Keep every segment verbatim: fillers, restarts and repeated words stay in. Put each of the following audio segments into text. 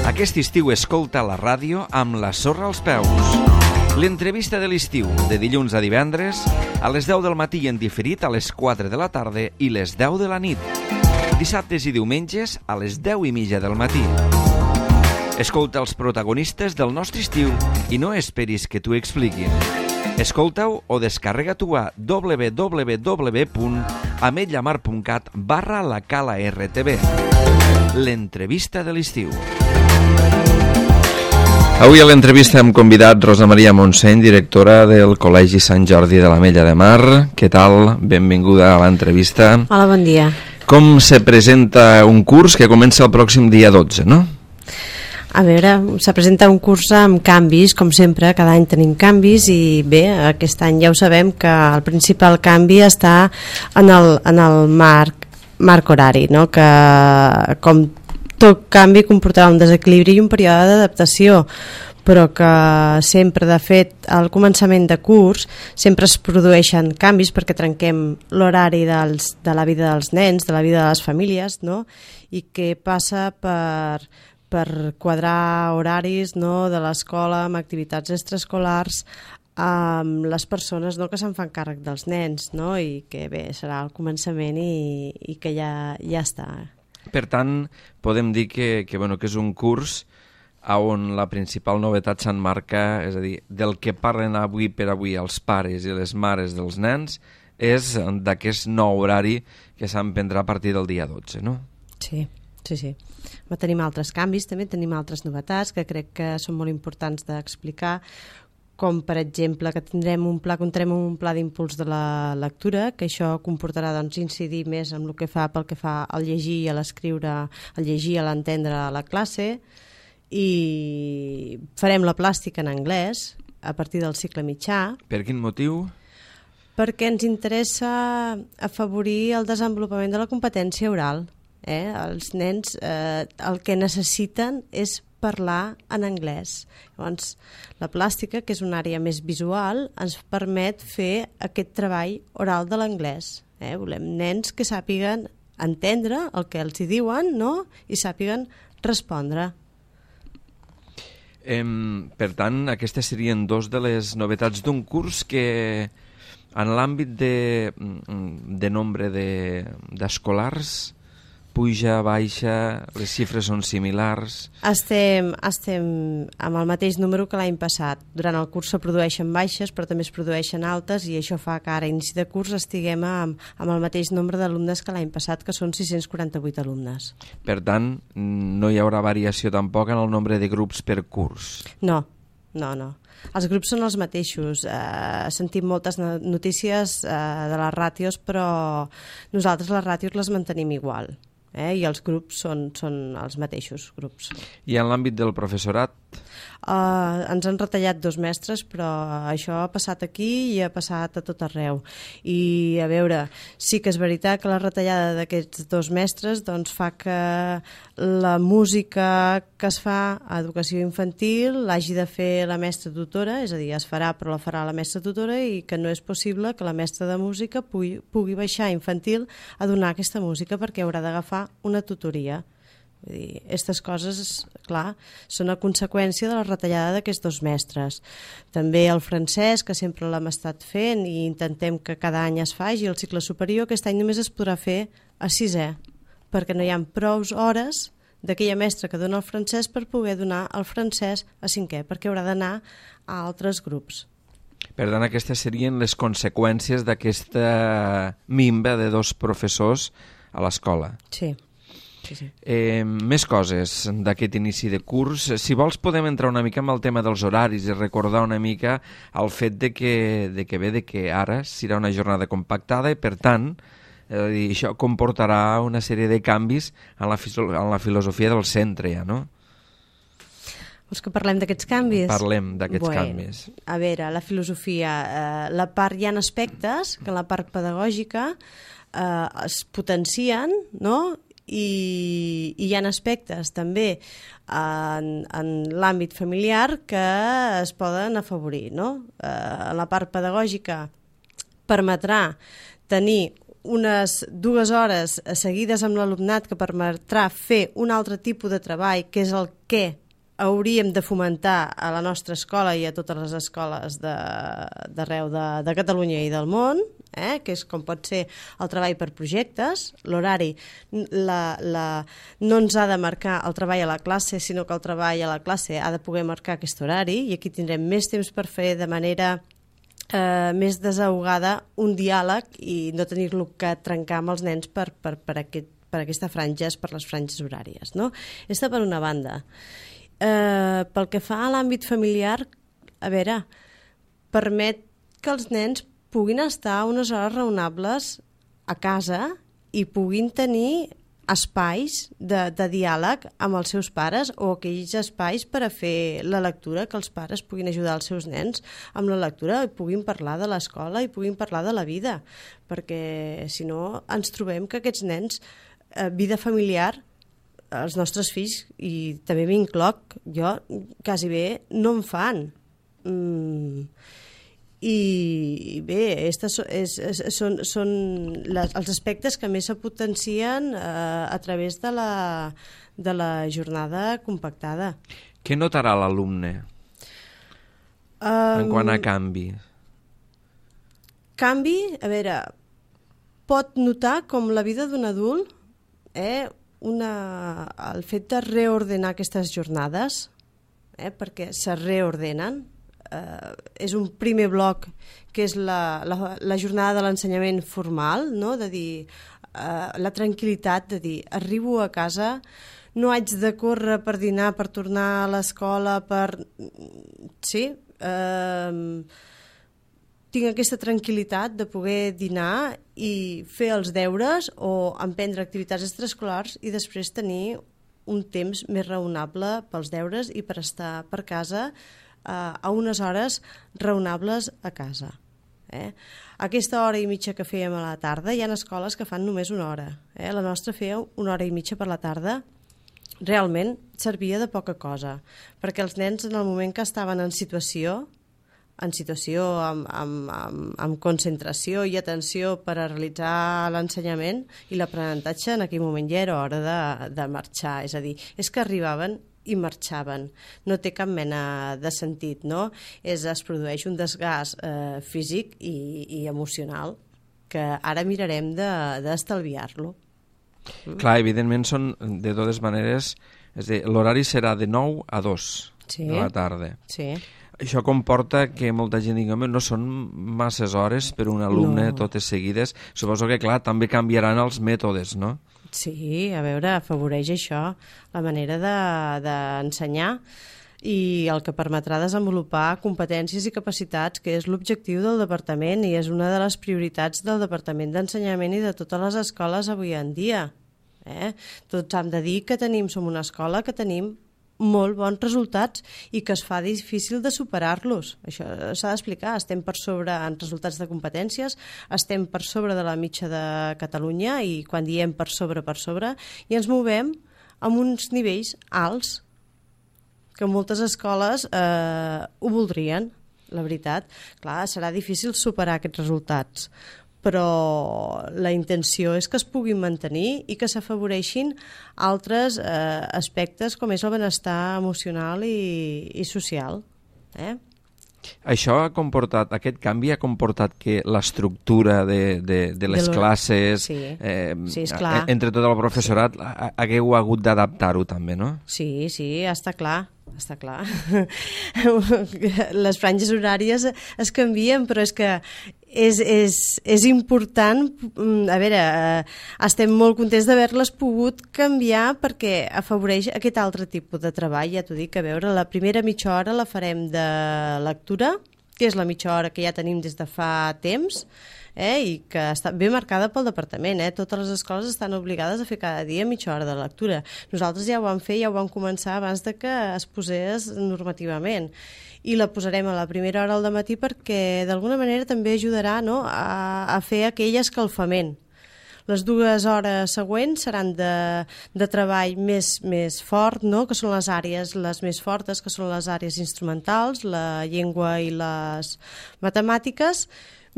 Aquest estiu escolta la ràdio amb la sorra als peus. L'entrevista de l'estiu, de dilluns a divendres, a les deu del matí i en diferit a les quatre de la tarda i les deu de la nit. Dissabtes i diumenges a les deu i mitja del matí. Escolta els protagonistes del nostre estiu i no esperis que t'ho expliquin. Escolta-ho o descarrega-t'ho a w w w punt ametlla mar punt cat barra la cala R T V. L'entrevista de l'estiu. Avui a l'entrevista hem convidat Rosa Maria Montseny, directora del Col·legi Sant Jordi de l'Ametlla de Mar. Què tal? Benvinguda a l'entrevista. Hola, bon dia. Com se presenta un curs que comença el pròxim dia dotze, no? A veure, se presenta un curs amb canvis, com sempre, cada any tenim canvis i bé, aquest any ja ho sabem que el principal canvi està en el, en el marc, marc horari, no? Que com tot canvi comportarà un desequilibri i un període d'adaptació, però que sempre, de fet, al començament de curs sempre es produeixen canvis perquè trenquem l'horari dels, de la vida dels nens, de la vida de les famílies, no? I que passa per, per quadrar horaris, no?, de l'escola amb activitats extraescolars amb les persones, no?, que se'n fan càrrec dels nens, no? I que bé, serà el començament i, i que ja, ja està. Per tant, podem dir que, que, bueno, que és un curs on la principal novetat s'emmarca, és a dir, del que parlen avui per avui els pares i les mares dels nens, és d'aquest nou horari que s'emprendrà a partir del dia dotze, no? Sí, sí, sí. Tenim altres canvis, també tenim altres novetats que crec que són molt importants d'explicar, com per exemple que tindrem un pla, comptarem un pla d'impuls de la lectura, que això comportarà doncs, incidir més en el que fa pel que fa al llegir i a l'escriure, al llegir i a l'entendre a la classe, i farem la plàstica en anglès a partir del cicle mitjà. Per quin motiu? Perquè ens interessa afavorir el desenvolupament de la competència oral. Eh? Els nens eh, el que necessiten és parlar en anglès. Llavors, la plàstica, que és una àrea més visual, ens permet fer aquest treball oral de l'anglès. Eh? Volem nens que sàpiguen entendre el que els hi diuen, no?, i sàpiguen respondre. Eh, per tant, aquestes serien dos de les novetats d'un curs que en l'àmbit de, de nombre d'escolars de, puja, baixa, les xifres són similars? Estem, estem amb el mateix número que l'any passat. Durant el curs se produeixen baixes, però també es produeixen altes, i això fa que ara, a inici de curs, estiguem amb, amb el mateix nombre d'alumnes que l'any passat, que són sis-cents quaranta-vuit alumnes. Per tant, no hi haurà variació tampoc en el nombre de grups per curs? No, no, no. Els grups són els mateixos. Eh, sentim moltes notícies eh, de les ràtios, però nosaltres les ràtios les mantenim igual. Eh? I els grups són, són els mateixos grups. I en l'àmbit del professorat? Uh, ens han retallat dos mestres, però això ha passat aquí i ha passat a tot arreu. I a veure, sí que és veritat que la retallada d'aquests dos mestres doncs, fa que la música que es fa a educació infantil l'hagi de fer la mestra tutora, és a dir, es farà però la farà la mestra tutora, i que no és possible que la mestra de música pugui, pugui baixar a infantil a donar aquesta música perquè haurà d'agafar una tutoria. Vull dir, aquestes coses, clar, són a conseqüència de la retallada d'aquests dos mestres. També el francès, que sempre l'hem estat fent i intentem que cada any es faci, el cicle superior, aquest any només es podrà fer a sisè, perquè no hi ha prou hores d'aquella mestra que dona el francès per poder donar el francès a cinquè, perquè haurà d'anar a altres grups. Per tant, aquestes serien les conseqüències d'aquesta minva de dos professors a l'escola. Sí. Sí, sí. Eh, més coses d'aquest inici de curs. Si vols podem entrar una mica amb el tema dels horaris i recordar una mica el fet de que, de que bé, de que ara serà una jornada compactada i per tant eh, això comportarà una sèrie de canvis en la, en la filosofia del centre ja, no? Vols que parlem d'aquests canvis? Parlem d'aquests bueno, canvis. A veure, la filosofia, eh, la part, hi ha aspectes que en la part pedagògica eh, es potencien, no?, i, i hi ha aspectes també en, en l'àmbit familiar que es poden afavorir, no? Eh, la part pedagògica permetrà tenir unes dues hores seguides amb l'alumnat que permetrà fer un altre tipus de treball, que és el que hauríem de fomentar a la nostra escola i a totes les escoles d'arreu de, de, de Catalunya i del món, eh? Que és com pot ser el treball per projectes. L'horari la, la, no ens ha de marcar el treball a la classe, sinó que el treball a la classe ha de poder marcar aquest horari, i aquí tindrem més temps per fer de manera eh, més desahogada un diàleg i no tenir-lo que trencar amb els nens per, per, per, aquest, per aquesta franges, per les franges horàries, no? Aquesta per una banda. Eh, pel que fa a l'àmbit familiar, a veure, permet que els nens puguin estar unes hores raonables a casa i puguin tenir espais de, de diàleg amb els seus pares, o aquells espais per a fer la lectura, que els pares puguin ajudar els seus nens amb la lectura i puguin parlar de l'escola i puguin parlar de la vida, perquè si no ens trobem que aquests nens, eh, vida familiar, els nostres fills, i també m'incloc jo, quasi bé no en fan. Mm. I bé, estes és, és, són, són les, els aspectes que més se potencien eh, a través de la, de la jornada compactada. Què notarà l'alumne um, en quant a canvi? Canvi, a veure, pot notar com la vida d'un adult, eh, una, el fet de reordenar aquestes jornades, eh, perquè se reordenen, eh, és un primer bloc que és la, la, la jornada de l'ensenyament formal, no? De dir, eh, la tranquil·litat de dir, arribo a casa, no haig de córrer per dinar, per tornar a l'escola, per... Sí, eh, tinc aquesta tranquil·litat de poder dinar i fer els deures o emprendre activitats extraescolars i després tenir un temps més raonable pels deures i per estar per casa eh, a unes hores raonables a casa. Eh? Aquesta hora i mitja que fèiem a la tarda, hi ha escoles que fan només una hora. Eh? La nostra feia una hora i mitja per la tarda, realment servia de poca cosa, perquè els nens en el moment que estaven en situació en situació amb, amb, amb, amb concentració i atenció per a realitzar l'ensenyament i l'aprenentatge, en aquell moment ja era hora de, de marxar. És a dir, és que arribaven i marxaven. No té cap mena de sentit, no? És, es produeix un desgast eh, físic i, i emocional que ara mirarem d'estalviar-lo. De, Clar, evidentment són de totes maneres, és a dir, l'horari serà de nou a dos sí. de la tarda. Sí. Això comporta que molta gent digui, no són masses hores per un alumne, no. Totes seguides. Suposo que, clar, també canviaran els mètodes, no? Sí, a veure, afavoreix això, la manera d'ensenyar de, i el que permetrà desenvolupar competències i capacitats, que és l'objectiu del departament i és una de les prioritats del Departament d'Ensenyament i de totes les escoles avui en dia. Eh? Tots hem de dir que tenim, som una escola que tenim molt bons resultats i que es fa difícil de superar-los. Això s'ha d'explicar. Estem per sobre en resultats de competències, estem per sobre de la mitja de Catalunya i quan diem per sobre, per sobre, i ens movem amb uns nivells alts que moltes escoles eh, ho voldrien, la veritat. Clar, serà difícil superar aquests resultats, però la intenció és que es puguin mantenir i que s'afavoreixin altres eh, aspectes com és el benestar emocional i, i social. Eh? Això ha comportat, aquest canvi ha comportat que l'estructura de, de, de les de classes, sí. Eh, sí, esclar. entre tot el professorat, sí. Hagueu hagut d'adaptar-ho també, no? Sí, sí, està clar. Està clar. Les franges horàries es canvien, però és que és, és, és important. A veure, estem molt contents d'haver-les pogut canviar perquè afavoreix aquest altre tipus de treball. Ja t'ho dic, a veure, la primera mitja hora la farem de lectura, que és la mitja hora que ja tenim des de fa temps, eh, i que està ben marcada pel departament. Eh? Totes les escoles estan obligades a fer cada dia mitja hora de lectura. Nosaltres ja ho vam fer, ja ho vam començar abans de que es posés normativament. I la posarem a la primera hora del matí perquè d'alguna manera també ajudarà, no?, a, a fer aquell escalfament. Les dues hores següents seran de, de treball més, més fort, no?, que són les àrees les més fortes, que són les àrees instrumentals, la llengua i les matemàtiques,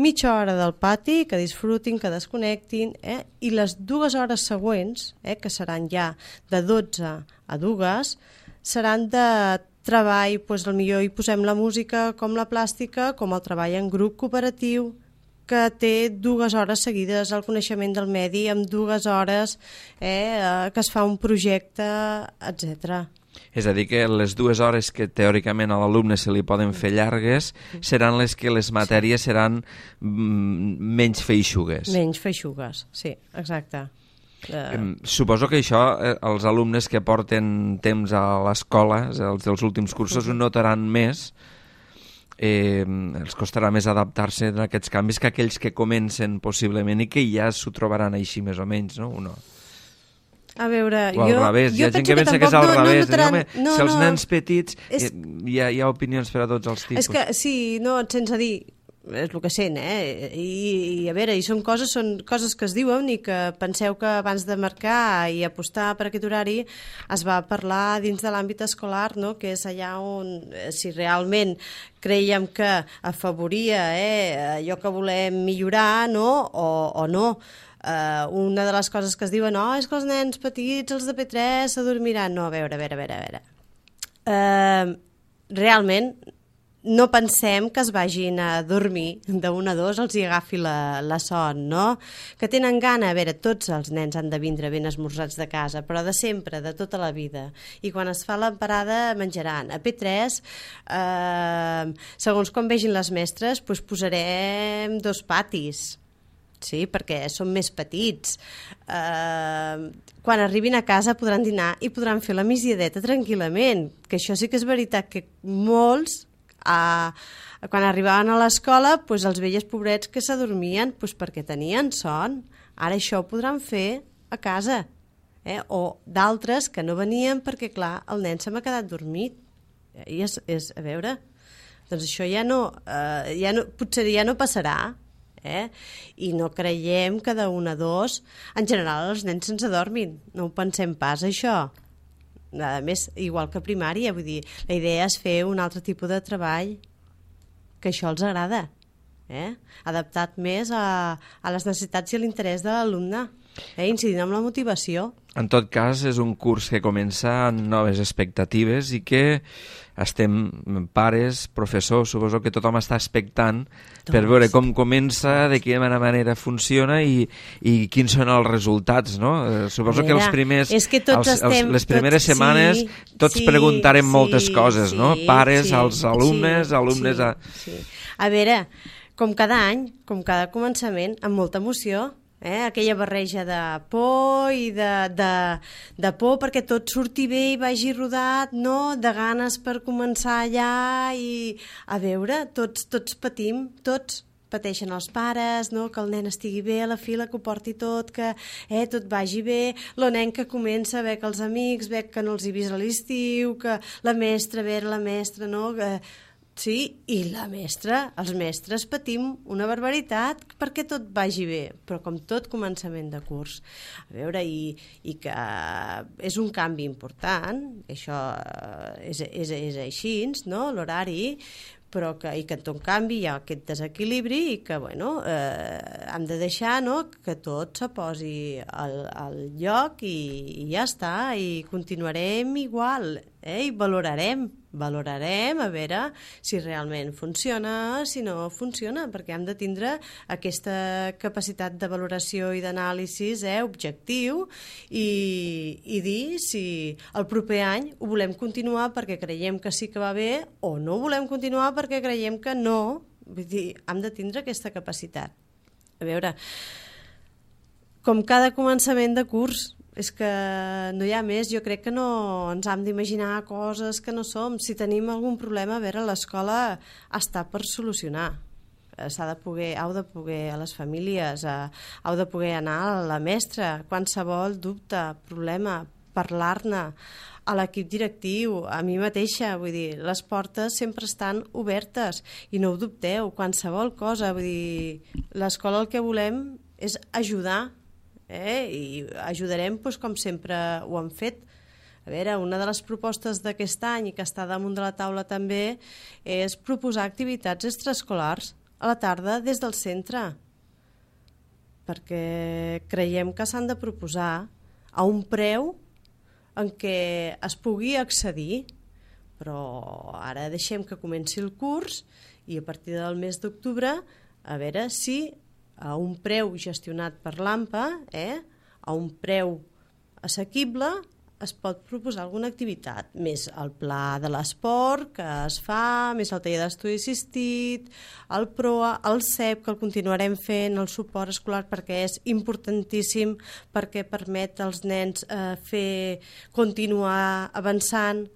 mitja hora del pati, que disfrutin, que desconnectin, eh? I les dues hores següents, eh, que seran ja de dotze a dues, seran de treball, doncs potser hi posem la música com la plàstica, com el treball en grup cooperatiu, que té dues hores seguides al coneixement del medi, amb dues hores eh, que es fa un projecte, etcètera. És a dir, que les dues hores que teòricament a l'alumne se li poden fer llargues seran les que les matèries seran mm, menys feixugues. Menys feixugues, sí, exacte. Uh... Suposo que això eh, els alumnes que porten temps a l'escola, els dels últims cursos, ho notaran més, eh, els costarà més adaptar-se a aquests canvis que aquells que comencen possiblement i que ja s'ho trobaran així més o menys, no? O no? A veure, o al jo, revés, hi ha gent que, que pensa que és al no, revés, no notaran... home, no, si els no, nens petits és... hi, ha, hi ha opinions per a tots els tipus. És que, sí, no, sense dir, és el que sent, eh? I, i a veure, i són coses, són coses que es diuen i que penseu que abans de marcar i apostar per aquest horari es va parlar dins de l'àmbit escolar, no? Que és allà on, si realment creiem que afavoria eh, allò que volem millorar, no? O, o no. Uh, una de les coses que es diuen, no, és que els nens petits, els de P tres, s'adormiran. No, a veure, a veure, a veure. A veure. Uh, realment, no pensem que es vagin a dormir d'un a dos, els hi agafi la, la son, no? Que tenen gana, a veure, tots els nens han de vindre ben esmorzats de casa, però de sempre, de tota la vida. I quan es fa la parada menjaran. A P tres, eh, segons com vegin les mestres, doncs posarem dos patis, sí, perquè són més petits. Uh, quan arribin a casa podran dinar i podran fer la migdiadeta tranquil·lament, que això sí que és veritat que molts, uh, quan arribaven a l'escola, pues, els vells pobrets que s'adormien pues, perquè tenien son. Ara això ho podran fer a casa. Eh? O d'altres que no venien perquè, clar, el nen se m'ha quedat dormit. I és, és, a veure, doncs això ja no, uh, ja no, potser ja no passarà. Eh? I no creiem que d'un a dos en general els nens se'ns adormin, no ho pensem pas això. A més, igual que a primària, vull dir, la idea és fer un altre tipus de treball que això els agrada, eh? Adaptat més a, a les necessitats i a l'interès de l'alumne, eh? Incidint en la motivació. En tot cas, és un curs que comença amb noves expectatives i que estem, pares, professors, suposo que tothom està expectant doncs, per veure com comença, de quina manera funciona i, i quins són els resultats, no? Eh, suposo veure, que els primers, és que tots els, estem, els, les primeres tots, setmanes sí, tots sí, preguntarem sí, moltes coses, sí, no? Pares, sí, als alumnes, sí, alumnes... Sí, a... sí. A veure, com cada any, com cada començament, amb molta emoció, eh? Aquella barreja de por i de, de, de por perquè tot surti bé i vagi rodat, no? De ganes per començar allà i a veure, tots, tots patim, tots pateixen els pares, no? Que el nen estigui bé a la fila, que ho porti tot, que eh, tot vagi bé, el nen que comença a veure que els amics, veure que no els hi vist a l'estiu, que la mestra, a veure la mestra, no? Que... Sí, i la mestra, els mestres patim una barbaritat perquè tot vagi bé, però com tot començament de curs. A veure, i, i que és un canvi important, això és, és, és així, no?, l'horari, però que, i que en tot canvi hi ha aquest desequilibri i que, bueno, eh, hem de deixar, no?, que tot se posi al, al lloc i, i ja està, i continuarem igual, eh? I valorarem, valorarem a veure si realment funciona, si no funciona, perquè hem de tindre aquesta capacitat de valoració i d'anàlisi eh, objectiu i, i dir si el proper any ho volem continuar perquè creiem que sí que va bé o no volem continuar perquè creiem que no. Vull dir, hem de tindre aquesta capacitat. A veure, com cada començament de curs, és que no hi ha més, jo crec que no ens hem d'imaginar coses que no som. Si tenim algun problema, a veure, l'escola està per solucionar. S'ha de poder, heu de poder a les famílies, heu de poder anar a la mestra, qualsevol dubte, problema, parlar-ne, a l'equip directiu, a mi mateixa, vull dir, les portes sempre estan obertes i no ho dubteu, qualsevol cosa, vull dir, l'escola el que volem és ajudar, eh? I ajudarem doncs, com sempre ho hem fet. A veure, una de les propostes d'aquest any i que està damunt de la taula també és proposar activitats extraescolars a la tarda des del centre, perquè creiem que s'han de proposar a un preu en què es pugui accedir, però ara deixem que comenci el curs i a partir del mes d'octubre a veure si a un preu gestionat per l'AMPA, eh, a un preu assequible, es pot proposar alguna activitat, més el pla de l'esport que es fa, més el taller d'estudi assistit, el PROA, el C E P, que el continuarem fent, el suport escolar, perquè és importantíssim, perquè permet als nens eh, fer, continuar avançant.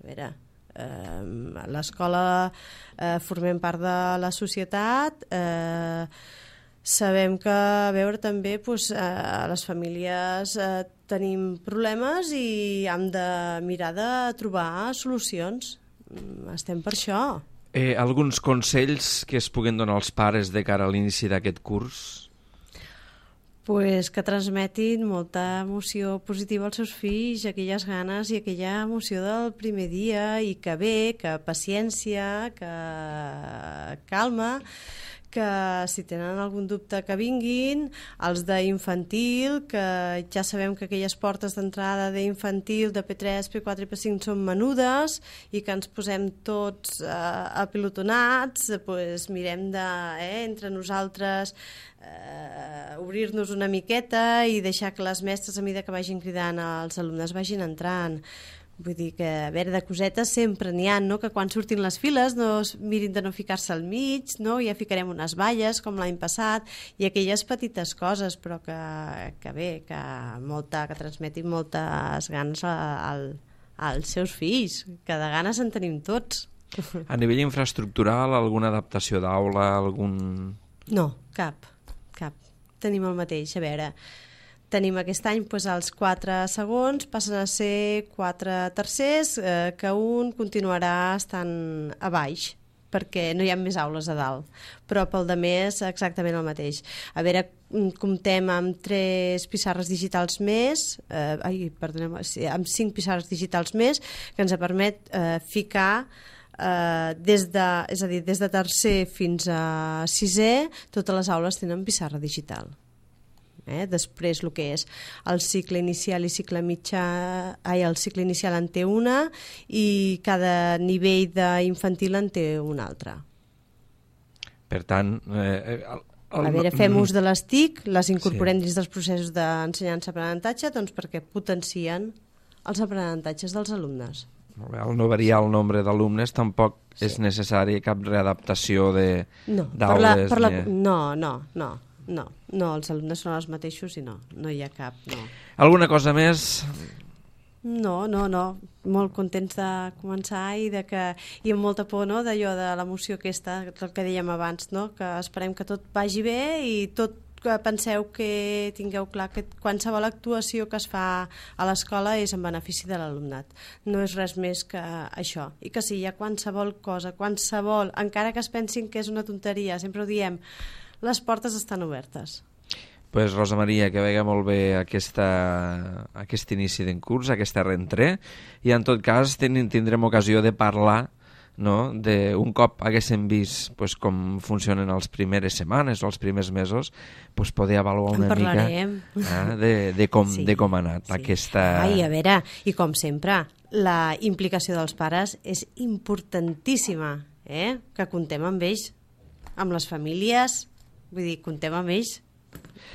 A veure, eh, a l'escola eh, formem part de la societat, eh, sabem que, a veure, també doncs, a les famílies eh, tenim problemes i hem de mirar de trobar solucions. Estem per això. Eh, alguns consells que es puguen donar als pares de cara a l'inici d'aquest curs? Pues que transmetin molta emoció positiva als seus fills, aquelles ganes i aquella emoció del primer dia, i que bé, que paciència, que calma, que si tenen algun dubte que vinguin, els d'infantil, que ja sabem que aquelles portes d'entrada d'infantil, de P tres, P quatre i P cinc són menudes i que ens posem tots eh, apilotonats, pues mirem de, eh, entre nosaltres eh, obrir-nos una miqueta i deixar que les mestres, a mesura que vagin cridant, els alumnes vagin entrant. Vull dir que, a veure, de cosetes sempre n'hi ha, no? Que quan surtin les files no es mirin de no ficar-se al mig, no? Ja ficarem unes valles, com l'any passat, i aquelles petites coses, però que, que bé, que, molta, que transmetin moltes ganes a, a, als seus fills, que de ganes en tenim tots. A nivell infraestructural, alguna adaptació d'aula, algun... No, cap, cap. Tenim el mateix, a veure... Tenim aquest any doncs, els quatre segons passen a ser quatre tercers, eh, que un continuarà estant a baix, perquè no hi ha més aules a dalt, però pel de més exactament el mateix. A veure, comptem amb tres pissarres digitals més, eh, ai, perdoneu, amb cinc pissarres digitals més, que ens permet eh, ficar eh, des de, és a dir, des de tercer fins a sisè, totes les aules tenen pissarra digital. Eh? Després el que és el cicle inicial i cicle mitjà, ai, el cicle inicial en té una i cada nivell d'infantil en té una altra. Per tant... Eh, el, el... A veure, fem ús de les T I C, les incorporem sí. dins dels processos d'ensenyança-aprenentatge, doncs perquè potencien els aprenentatges dels alumnes. Al no variar el nombre d'alumnes tampoc sí. és necessari cap readaptació d'aules. No, per la, per la, no, no, no. No, no, els alumnes són els mateixos i no, no hi ha cap, no. Alguna cosa més? No, no, no, molt contents de començar i, de que, i amb molta por, no?, d'allò de l'emoció aquesta, el que dèiem abans, no?, que esperem que tot vagi bé i tot que penseu que tingueu clar que qualsevol actuació que es fa a l'escola és en benefici de l'alumnat. No és res més que això. I que si hi ha qualsevol cosa, qualsevol, encara que es pensin que és una tonteria, sempre ho diem, les portes estan obertes. Pues Rosa Maria, que vegi molt bé aquesta, aquest inici d'en curs, aquesta rentré, i en tot cas ten, tindrem ocasió de parlar, no?, de un cop haguéssim vist pues, com funcionen les primeres setmanes o els primers mesos, pues, poder avaluar una mica eh, de, de, com, sí, de com ha anat sí. aquesta... Ai, a veure, i com sempre, la implicació dels pares és importantíssima, eh? Que contem amb ells, amb les famílies... Vull dir, contem amb ells.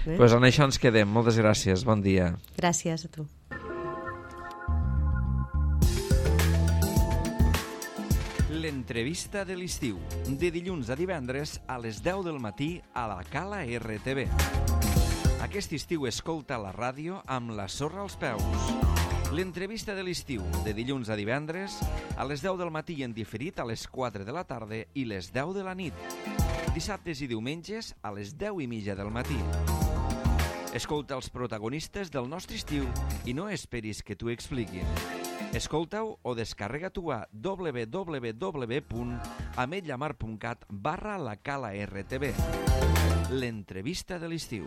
Eh? Pues en això ens quedem. Moltes gràcies. Bon dia. Gràcies a tu. L'entrevista de l'estiu. De dilluns a divendres a les deu del matí a la Cala R T V. Aquest estiu escolta la ràdio amb la sorra als peus. L'entrevista de l'estiu. De dilluns a divendres a les deu del matí i en diferit a les quatre de la tarda i les deu de la nit. Dissabtes i diumenges a les deu i mitja del matí. Escolta els protagonistes del nostre estiu i no esperis que t'ho expliquin. Escolta-ho o descarrega-t'ho a w w w punt ametlla mar punt cat barra la cala R T V. L'entrevista de l'estiu.